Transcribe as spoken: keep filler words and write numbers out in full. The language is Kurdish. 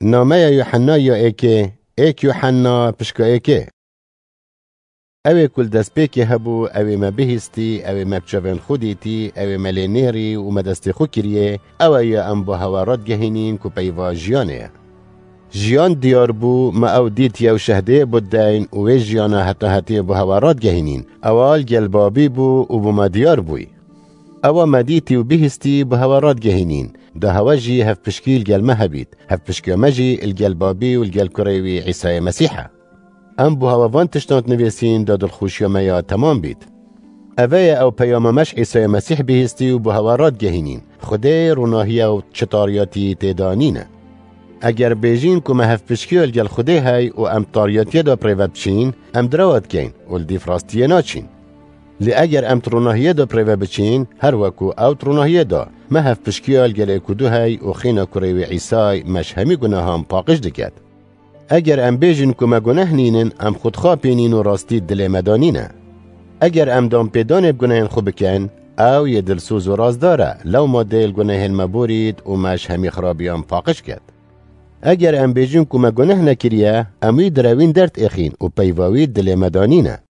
Nameya Yuhennayê ya êkê, êk Yuhenna pişka êkê. Ew ê ku li destpêkê hebû, ew ê me bihîstî, ew ê me bi çavên xwe dîtî, ew ê me lê nêrî û me destê xwe kiriye, ew e ya em bo hewa radgehînîn ku peyva jiyanê ye. Jiyan diyar bû, me ew dît yew şehdê bû deyn û wê jiyana heta hetê bo hewa radgehînîn. Ewa li gel babî bû û bo me diyar bûyî. Ewa me dîtî û bihîstî bo hewa radgehînîn. Da hewa jî hevpişkî li gel me hebît. Hevpişkiya me jî li gel babî û li gel kurê wî Îsayê Mesîh e. Em bo hewa van tiştan nivîsîn da dilxweşiya me ya temam bît. Eve ye ew peyama me ji Îsayê Mesîh bihîstî û bo hewa radgehînîn. Xwedê ronahiye û çi tariyatî tê de nîne. Eger bêjîn ku me hevpişkiya li gel Xwedê hey û em tariyatiyê de bi rê ve biçîn, em direwa dikeyn û li dîv rastiyê naçîn. Lê eger em di ronahiyê de bi rê ve biçîn, her weku ew di ronahiyê de, me hevpişkiya li gel êk û du hey û xîna kurê wî Îsay me ji hemî gunehan paqij diket. Eger em bêjin ku me guneh nînin, em xwe dixapînîn û rastî dilê me de nîne. Eger em danpêdanê bi gunehên xwe bikin, ew yê dilsoz û rastdar e, lewma dê li gunehên me borît û me ji hemî xirabiyan paqij ket. Eger em bêjin ku me guneh nekiriye, em wî direwîn derdêxîn û peyva wî dilê me de nîne.